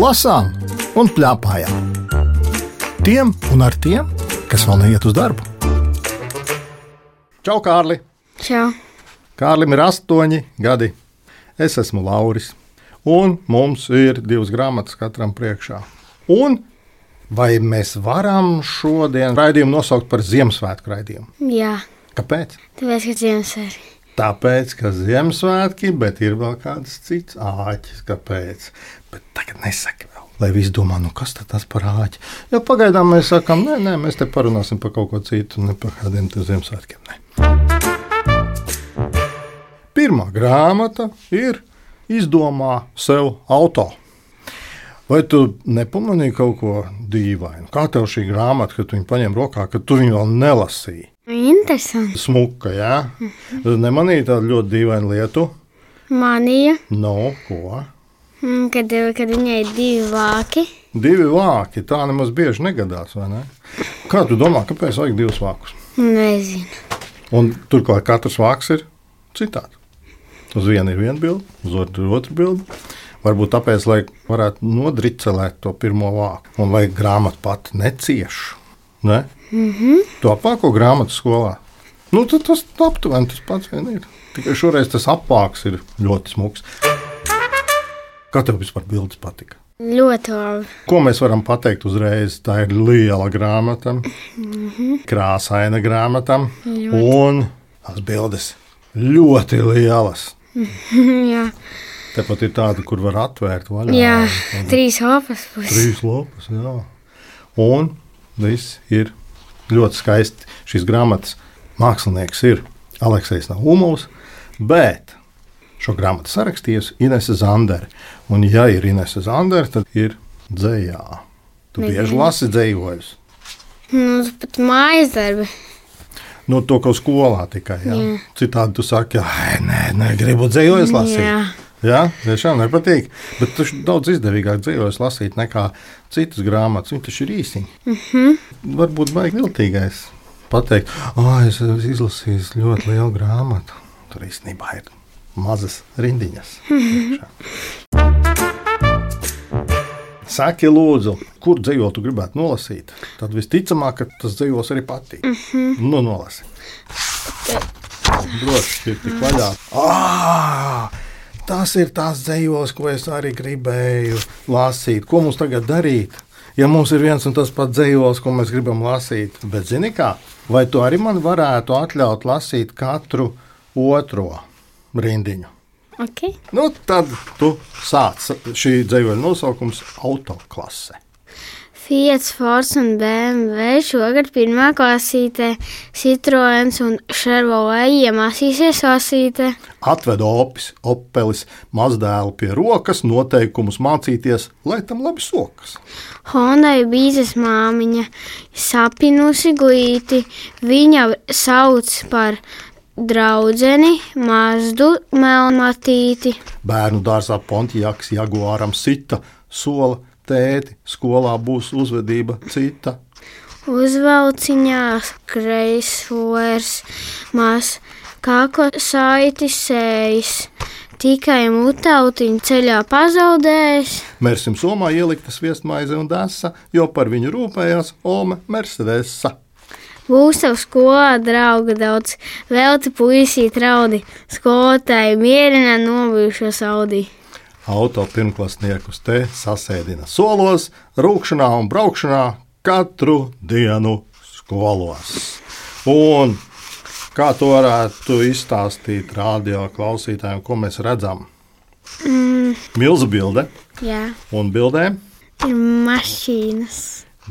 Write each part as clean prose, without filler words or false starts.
lasām un pļāpājām. Tiem un ar tiem, kas vēl neiet uz darbu. Čau, Kārli! Čau! Kārlim ir 8 gadi. Es esmu Lauris. Un mums ir 2 grāmatas katram priekšā. Un vai mēs varam šodien raidījumu nosaukt par Ziemassvētku raidījumu? Jā. Kāpēc? Tāpēc, ka Ziemassvētki. Tāpēc, ka Ziemassvētki, bet ir vēl kāds cits āķis. Kāpēc? Bet tagad nesaki vēl. Lai visi domā, kas tas par āķi. Jo pagaidām mēs sakām, nē, mēs te parunāsim par kaut ko citu, ne par kādiem Ziemassvētkiem. Ne. Pirmā grāmata ir Izdomā sev auto. Vai tu nepamanīji kaut ko dīvainu? Kā tev šī grāmata, kad tu viņu paņem rokā, kad tu viņu vēl nelasīji? Interesanti. Smuka, jā? Nemanīji tādu ļoti dīvainu lietu? Manīja. Ko? Kad viņai ir 2 vāki. 2 vāki, tā nemaz bieži negadās, vai ne? Kā tu domā, kāpēc vajag 2 vākus? Nezinu. Un turklāt katrs vāks ir citāds. Uz vienu ir viena bilde, uz otru ir otra bilde. Varbūt tāpēc, lai varētu nodricelēt to pirmo vāku un lai grāmata pati necieš. Ne? Tu apvāko grāmatu skolā. Tad tas aptuveni tas pats vien ir. Tikai šoreiz tas apvāks ir ļoti smuks. Kā tev vispār bildes patika? Ļoti labi. Ko mēs varam pateikt uzreiz? Tā ir liela grāmata, krāsaina grāmata un tās bildes ļoti lielas. Jā. Tepat ir tāda, kur var atvērt vaļā. Jā, 3 lapas puses. 3 lapas, jā. Un viss ir ļoti skaisti. Šīs grāmatas mākslinieks ir Aleksejs Naumovs, bet šo grāmatu sarakstījusi Inese Zandere. Un ja ir Inese Zandere, tad ir dzejā. Tu bieži lasi dzejojus? Pat mājas darbi. To, ko skolā tikai, jā. Citādi tu saki, nē, gribu dzejojus lasīt. Jā, tiešām nepatīk. Bet tu daudz izdevīgāk dzejojus lasīt nekā citas grāmatas. Viņi taču ir īsiņi. Varbūt baigi viltīgais pateikt, es izlasīju ļoti lielu grāmatu. Tur īstenībā ir mazas rindiņas. Saki, lūdzu, kur dzejoli tu gribētu nolasīt? Tad visticamāk, ka tas dzejols arī patīk. Nolasi. Droši ir tik vaļā. Tas ir tās dzejols, ko es arī gribēju lasīt. Ko mums tagad darīt? Ja mums ir viens un tas pats dzejols, ko mēs gribam lasīt. Bet zini kā? Vai tu arī man varētu atļaut lasīt katru otro rindiņu? Okay. Tad tu sāc. Šī dzejoļa nosaukums Autoklase. Fiat, Ford un BMW šogad 1. klasītē, Citroens un Chevrolet iemācīsies lasīt. Atved Opelis mazdēlu pie rokas, noteikumus mācīties, lai tam labi sokas. Hondai bīzes māmiņa sapinusi glīti, viņa sauc par draudzeni Mazdu melnmatīti. Bērnu dārzā Pontiaks Jaguāram sita, sola tēti, skolā būs uzvedība cita. Uzvalciņās Chryslers maz kakla saiti sējis, tikai mutautiņu ceļā pazaudējis. Mērsim somā ielikta sviestmaize un desa, jo par viņu rūpējās Ome Mercedesa. Būs tev skolā drauga daudz, velti puisīt raudi, skolotāji mierina nobijušos audī. Auto pirmklasniekus te sasēdina solos, rūkšanā un braukšanā katru dienu skolos. Un kā to varētu izstāstīt radio klausītājiem, ko mēs redzam? Milzu bilde. Jā. Un bildē? Ir mašīnas.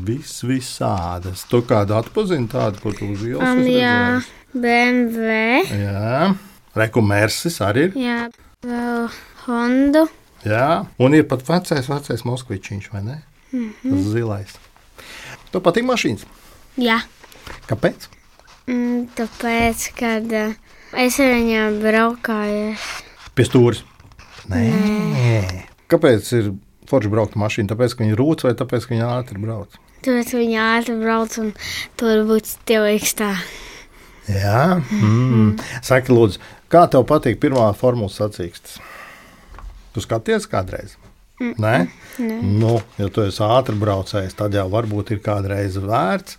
Visādas. Tu kādu atpazini tādu, ko tu uz ielas esi Jā, redzējis? BMW. Jā. Reku Mersis arī ir. Jā, vēl Hondu. Jā, un ir pat vecais Moskvičiņš, vai ne? Tas zilais. Tev patīk mašīnas? Jā. Kāpēc? Tāpēc, kad es ar viņām braukāju. Pie stūris? Nē. Kāpēc ir forši braukt mašīnu? Tāpēc, ka viņi rūc vai tāpēc, ka viņi ātri brauc? Tāpēc viņi ātri brauc un tur būtu stilīgs tā. Jā. Saki, lūdzu, kā tev patīk pirmā formulas sacīkstes? Tu skaties kādreiz? Nē? Nu, ja tu esi ātri braucējs, tad jau varbūt ir kādreiz vērts.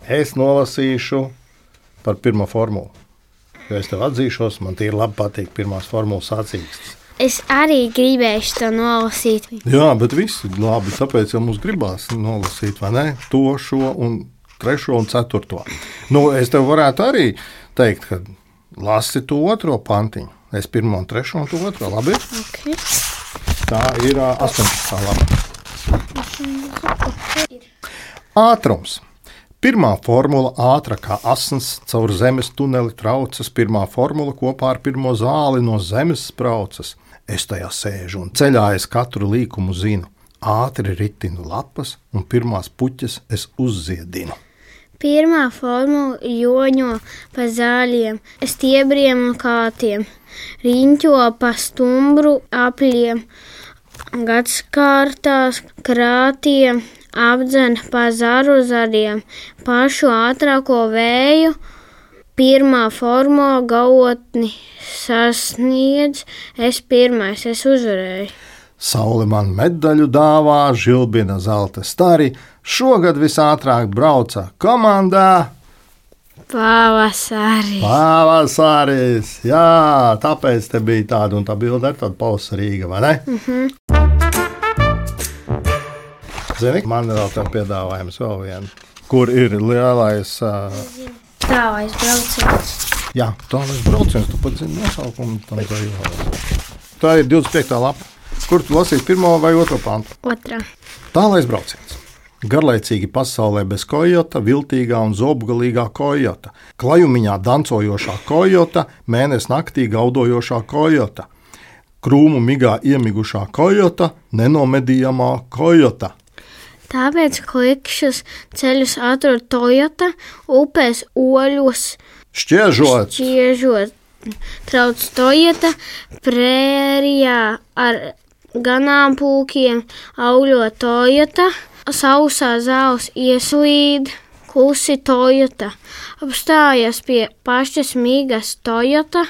Es nolasīšu par pirmo formulu. Jo es tev atzīšos, man tīri labi patīk pirmās formulas sacīkstes. Es arī gribēju to nolasīt. Jā, bet viss ir labi, tāpēc jau mums gribās nolasīt, vai ne? To, šo un trešo un ceturto. Nu, es tev varētu arī teikt, ka lasi to otro pantiņu. Es pirmo un trešo un to otro, labi? Okay. Tā ir 18. lapa. Ātrums. Pirmā formula ātra kā asins caur zemes tuneli traucas. Pirmā formula kopā ar pirmo zāli no zemes spraucas. Es tajā sēžu un ceļā es katru līkumu zinu. Ātri ritinu lapas un pirmās puķes es uzziedinu. Pirmā formula joņo pa zāļiem, stiebriem un kātiem, riņķo pa stumbru apļiem, gadskārtās krātiem, apdzen pa zaru zariem, pašu ātrāko vēju. Pirmā formula gaotni sasniedz, es pirmais, es uzvarēju. Saule man medaļu dāvā, žilbina zelta stari, šogad visātrāk brauca komandā. Pavasari. Pavasaris, jā, tāpēc te bija tāda un tā bilde ar tādu pavasarīga, vai ne? Zini, man ir vēl tev piedāvājums vēl vienu, kur ir lielais... Tālais brauciens. Jā, tālais brauciens, tu pat zini nosaukumu tam zajūvēs. Tā ir 25. lapa. Kur tu lasīsi pirmo vai otro pantu? Otrā. Tālais brauciens. Garlaicīgi pasaulē bez kojota, viltīgā un zobgalīgā kojota, klajumiņā dancojošā kojota, mēnes naktī gaudojošā kojota, krūmu migā iemigušā kojota, nenomedījamā kojota. Tāpēc klikšķus ceļus atrod Toyota, upēs oļus šķiežot. Trauc Toyota, prērijā ar ganāmpulkiem augļo Toyota, sausā zāles ieslīd, klusi Toyota, apstājas pie pašas migas Toyota,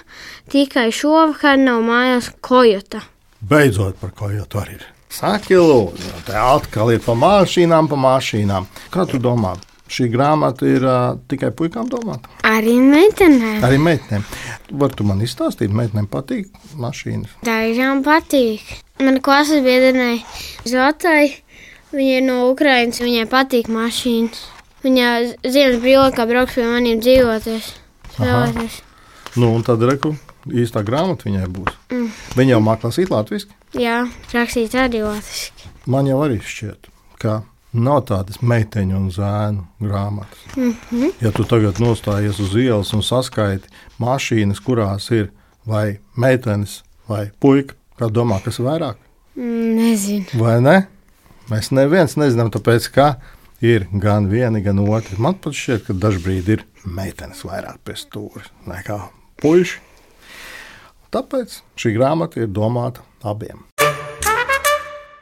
tikai šovakar nav mājās Kojota. Beidzot par kojotu arī ir. Saki lūdzu, te atkal ir pa mašīnām. Kā tu domā? Šī grāmata ir tikai puikām domāta? Arī meitenēm. Arī meitenēm. Var tu man izstāstīt, meitenēm patīk mašīnas? Dažām patīk. Mana klases biedrenei Zotai, viņa ir no Ukrainas, viņai patīk mašīnas. Viņa ziemas brīvlaikā brauks pie maniem dzīvoties, spēlēties. Nu, un tad reku, īstā grāmata viņai būs. Viņa jau māk lasīt latviski? Jā, rakstīt arī latviski. Man jau arī šķiet, ka nav tādas meiteņu un zēnu grāmatas. Ja tu tagad nostājies uz ielas un saskaiti mašīnas, kurās ir vai meitenes vai puika, kā domā, kas ir vairāk? Nezinu. Vai ne? Mēs neviens nezinām, tāpēc, ka ir gan vieni, gan otri. Man pat šķiet, ka dažbrīd ir meitenes vairāk pie stūra nekā puiši. Tāpēc šī grāmata ir domāta abiem.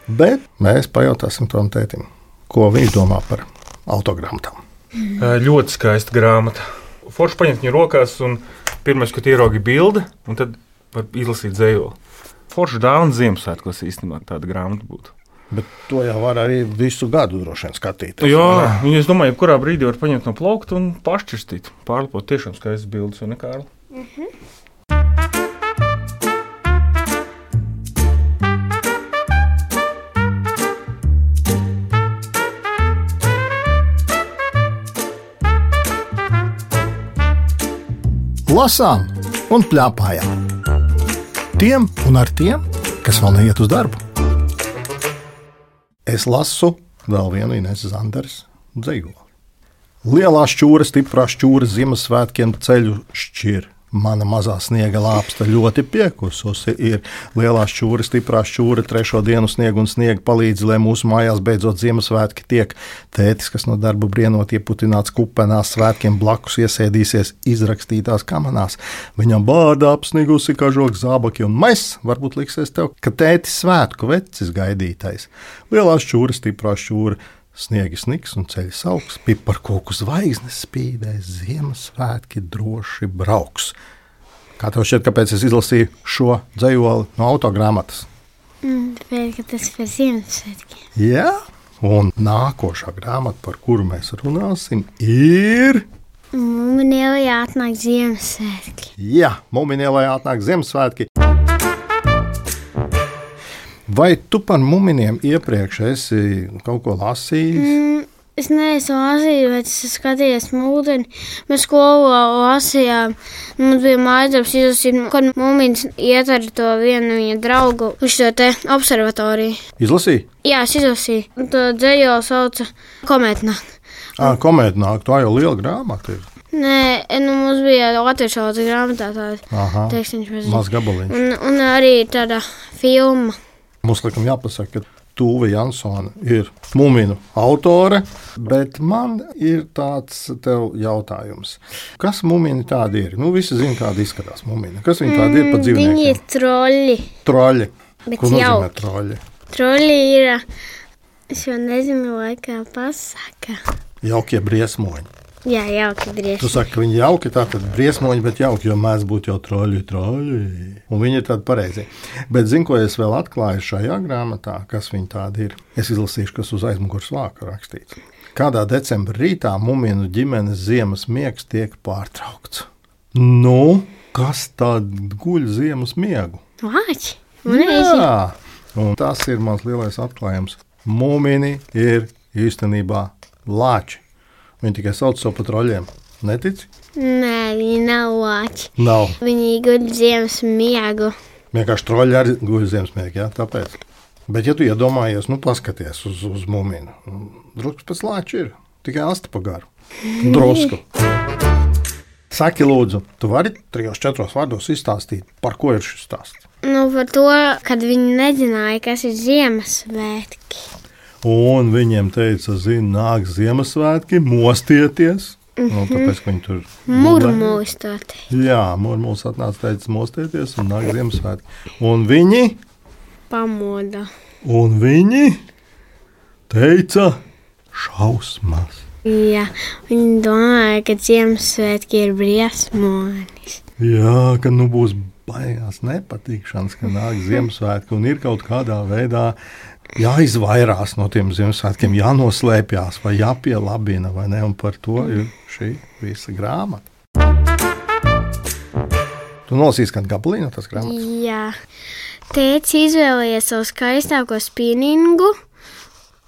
Bet mēs pajautāsim tam tētim, ko viņš domā par autogrāmatām. Ļoti skaista grāmata. Forši paņemt viņu rokās, un pirmais, kad ieraugi bildi, un tad var izlasīt dzējoli. Forši dāvana Ziemassvētkos īstenībā tāda grāmata būtu. Bet to jau var arī visu gadu droši vien skatīties. Jā, es domāju, jebkurā brīdī var paņemt no plaukta un pašķirstīt. Pārlipot tiešām skaistas bildes, vai ne, Kārli? Lasām un pļāpājām. Tiem un ar tiem, kas vēl neiet uz darbu. Es lasu vēl vienu Ineses Zanderes dzejoli. Lielā šķūra, stiprā šķūra Ziemassvētkiem ceļu šķir. Mana mazā sniega lāpsta ļoti piekususi ir. Lielā šķūra, stiprā šķūra, trešo dienu sniegu un sniega palīdzi, lai mūsu mājās beidzot Ziemassvētki tiek. Tētis, kas no darba brienot ieputināts kupenās, svētkiem blakus iesēdīsies izrakstītās kamanās. Viņam bārda apsnigusi kažok zābaki un mēs, varbūt liksies tev, ka tētis svētku vecis gaidītais. Lielā šķūra, stiprā šķūra, sniegi sniks un ceļš augs, piparkoku zvaigznes spīdēs, Ziemassvētki droši brauks. Kā tev šķiet, kāpēc es izlasīju šo dzejoli no autogrāmatas? Bet, ka tas par Ziemassvētkiem. Jā, un nākošā grāmata, par kuru mēs runāsim, ir... Mūmiņēlī atnāk Ziemassvētki. Jā, Mūmiņēlī atnāk Ziemassvētki. Vai tu par muminiem iepriekš esi kaut ko lasījis? Es neesmu lasījis, bet es skatījos mūdeni. Mēs skolā lasījām. Mums bija mājasdarbs izlasīt, kad mūmiņas iet ar to vienu viņa draugu uz šo te observatoriju. Izlasīji? Jā, es izlasīju. Un to dzējoli sauca Kometnāk. Kometnāk, tā jau liela grāmata ir. Nē, mums bija latviešu valodas grāmatā tāda tekstiņš. Maz gabaliņš. Un arī tāda filma. Mums laikam jāpasaka, ka Tūve Jansone ir mūminu autore, bet man ir tāds tev jautājums. Kas mūmini tādi ir? Visi zina, kāda izskatās mūmini. Kas viņi tādi ir pa dzīvniekiem? Viņi ir troļi. Troļi. Bet Ko nozīmē jauki. troļi? Troļi ir, es jau nezinu, laikā pasaka. Jaukie briesmoņi. Jā, jauki Tu drieši. saki, ka viņi jauki, tātad briesmoņi, bet jauki, jo mēs būtu jau troļi. Un viņi ir tādi pareizi. Bet zinu, ko es vēl atklāju šajā grāmatā, kas viņi tādi ir. Es izlasīšu, kas uz aizmugures vāka rakstīts. Kādā decembra rītā mūminu ģimenes ziemas miegs tiek pārtraukts. Kas tad guļ ziemas miegu? Vāči. Jā, un tas ir mans lielais atklājums. Mūmini ir īstenībā lāči. Viņi tikai sauc savu par troļiem. Netici? Nē, viņi nav vāči. Nav. Viņi guļ ziemas miegu. Vienkārši troļi arī guļ ziemassvētku, jā, tāpēc. Bet, ja tu iedomājies, paskaties uz mūminu, drusku pēc lāča ir, tikai asti pa garu. Drusku. Saki, lūdzu, tu vari 3-4 vārdos izstāstīt, par ko ir šis stāsts? Par to, kad viņi nezināja, kas ir Ziemassvētki. Un viņiem teica, nāk Ziemassvētki, mostieties. Tāpēc, ka viņi tur Murmūstot. Jā, mūs atnāca teica, mostieties un nāk Ziemassvētki. Un Pamoda. viņi teica šausmas. Jā, viņi domāja, ka Ziemassvētki ir briesmonis. Jā, ka būs baigās nepatīkšanas, ka nāk Ziemassvētki un ir kaut kādā veidā jāizvairās no tiem Ziemassvētkiem, jānoslēpjas vai jāpielabina, vai ne? Un par to ir šī visa grāmata. Tu nolasīsi kādu gabaliņu no tās grāmatas? Jā. Tētis izvēlējies savu skaistāko spinningu.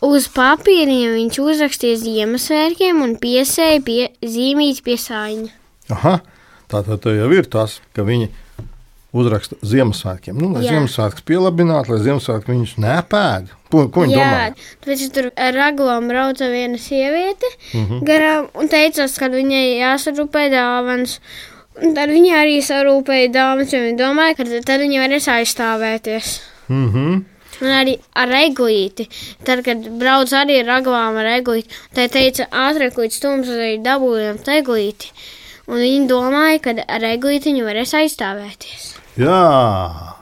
Uz papīriem viņš uzrakstīja Ziemassvētkiem un piesēja zīmīti pie sāņa. Aha, tātad jau ir tas, ka viņi uzraksta Ziemassvētkiem. Lai Ziemassvētkus pielabinātu, lai Ziemassvētki viņus nepēd. Ko viņi domā? Jā, tāpēc tur ar ragavām brauca viena sieviete garām un teicās, ka viņai jāsarūpē dāvanas. Un tad viņa arī sarūpēja dāvanas, jo viņa domāja, ka tad viņa varēs aizstāvēties. Un arī ar eglīti. Tad, kad brauc arī ar ragavām ar eglīti, tā teica, ātrāk līdz stums arī dabūjām eglīti. Un viņi domāja, ka ar eglīti viņi varēs aizstāvēties. Jā,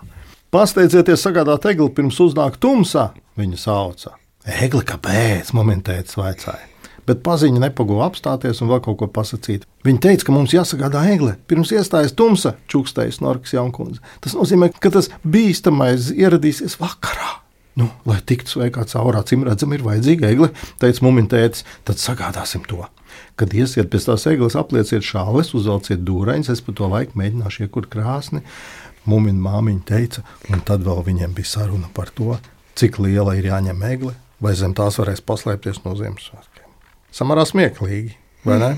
pasteidzieties sagādāt egli pirms uznāk tumsā, viņa sauca. Egli, kāpēc? Momentēts vaicāja. Bet paziņa nepaguva apstāties un vēl kaut ko pasakīt. Viņa teica, ka mums jāsagādā egle pirms iestājas tumsa, čukstēja Snorks Jaunkundze. Tas nozīmē, ka tas bīstamais ieradīsies vakarā. Lai tiktu sveikā caurā, cim redzam, ir vajadzīga egle, teica mumintētis, tad sagādāsim to. Kad iesiet pēc tās egles, aplieciet šāles, uzvelciet dūreņus, es pa to laiku mēģināšu iekurt krāsni. Mumina māmiņa teica, un tad vēl viņiem bija saruna par to, cik liela ir jāņem egle, vai zem tās varēs paslēpties no Ziemassvētkiem. Samērā smieklīgi, vai ne?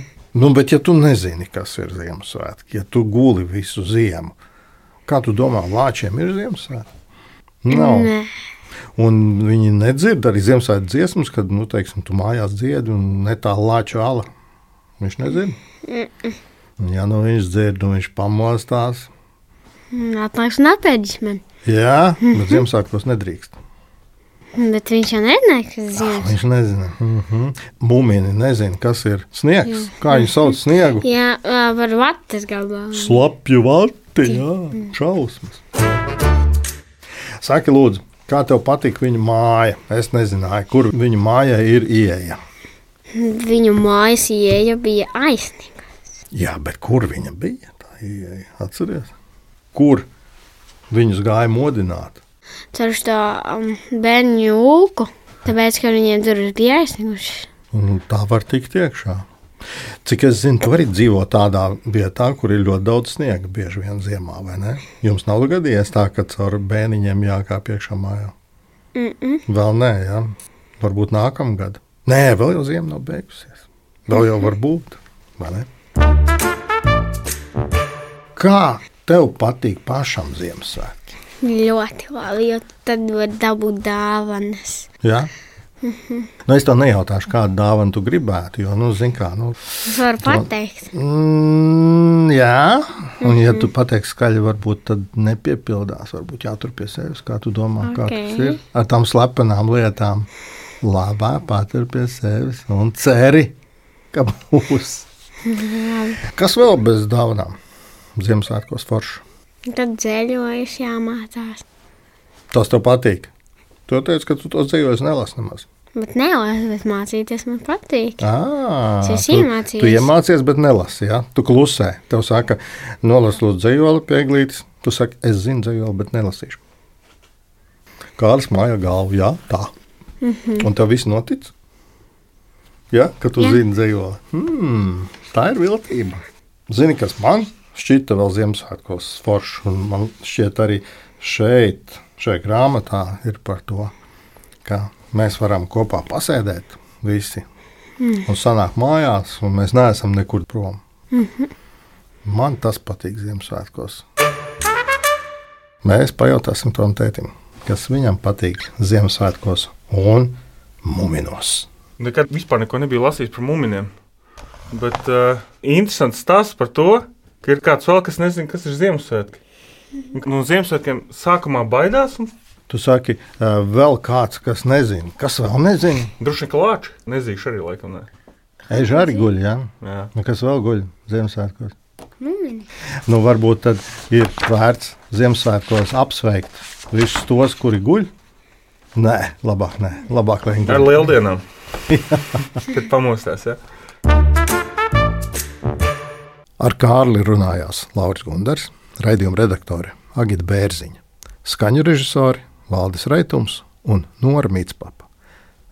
Bet ja tu nezini, kas ir Ziemassvētki, ja tu guli visu ziemu, kā tu domā, lāčiem ir Ziemassvētki? Nav. Nē. Un viņi nedzird arī Ziemassvētku dziesmas, kad, teiksim, tu mājās dziedi un ne tā lāču ala. Viņš nedzird? Ja viņš dzird un viņš pamostās. Atnāks un apēdis man. Jā, bet Ziemassvētkos nedrīkst. Bet viņš jau nezināja, kas ir Ziemassvētki. Viņš nezina. Mūmini nezina, kas ir sniegs. Kā viņi sauc sniegu? Jā, par vates gabalu. Slapju vati, jā, šausmas. Saki, lūdzu, kā tev patīk viņa māja? Es nezināju, kur viņa mājai ir ieeja. Viņu mājas ieeja bija aizsniegta. Jā, bet kur viņa bija? Tā ieeja, atceries? Kur viņus gāja modināt? caur šo bērnu jūku, tāpēc, ka viņiem durvis bija aizsniegušas. Tā var tikt iekšā. Cik es zinu, tu vari dzīvot tādā vietā, kur ir ļoti daudz sniega, bieži vien ziemā, vai ne? Jums nav gadījies tā, ka caur bēniņiem jākāp iekšā mājā? Vēl nē, jā. Varbūt nākamgad. Nē, vēl jau ziema nav beigusies. Vēl jau var būt, vai ne? Kā tev patīk pašam Ziemassvētki? Ļoti labi, jo tad var dabūt dāvanas. Jā? Nu, es tev nejautāšu, kādu dāvanu tu gribētu, jo, zini kā, Es varu pateikt. Jā, un ja tu pateiksi skaļi, varbūt tad nepiepildās, varbūt jātur pie sevis, kā tu domā, kā tas ir. Ar tām slepenām lietām labā patur pie sevis un ceri, ka būs. Kas vēl bez dāvanām? Ziemassvētkos forši. Tad dzēļojas jāmācās. Tas tev patīk? Tu teici, ka tu to dzēļojas nelasi nemaz. Bet nelasi, bet mācīties man patīk. Es iemācījos. Tu iemācies, bet nelasi, jā? Tu klusē. Tev saka, nolas lūdzu dzējoli pie eglītes. Tu saki, es zinu dzējoli, bet nelasīšu. Kāds māja galvu, jā, tā. Un tev viss notic? Jā, ka tu zini dzējoli. Tā ir viltība. Zini, kas man šķita vēl Ziemassvētkos forši, un man šķiet arī šajā grāmatā ir par to, ka mēs varam kopā pasēdēt visi un sanāk mājās, un mēs neesam nekur prom. Man tas patīk Ziemassvētkos. Mēs pajautāsim tam tētim, kas viņam patīk Ziemassvētkos un muminos. Nekad vispār neko nebija lasījis par muminiem, bet interesants stāsts par to, ka ir kāds vēl, kas nezina, kas ir Ziemassvētki. No Ziemassvētkiem sākumā baidās. Tu saki, vēl kāds, kas nezina. Kas vēl nezina? Droši vien klāči. Nezīšu arī laikam, ne. Eži arī guļ, jā? Jā. Kas vēl guļ Ziemassvētkos? Mumini. Varbūt tad ir vērts Ziemassvētkos apsveikt visus tos, kuri guļ? Nē, labāk, lai viņi guļ. Ar lieldienām. Kad pamostās, jā. Ar Kārli runājās Lauris Gundars, raidījuma redaktore Agita Bērziņa, skaņu režisori Valdis Reitums un Nora Mītspapa.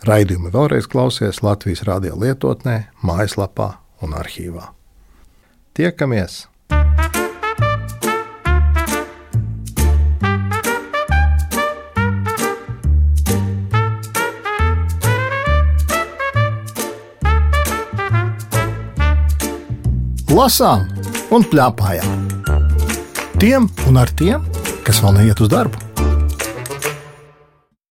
Raidījumi vēlreiz klausies Latvijas radio lietotnē, mājaslapā un arhīvā. Tiekamies! Lasām un pļāpājām. Tiem un ar tiem, kas vēl neiet uz darbu.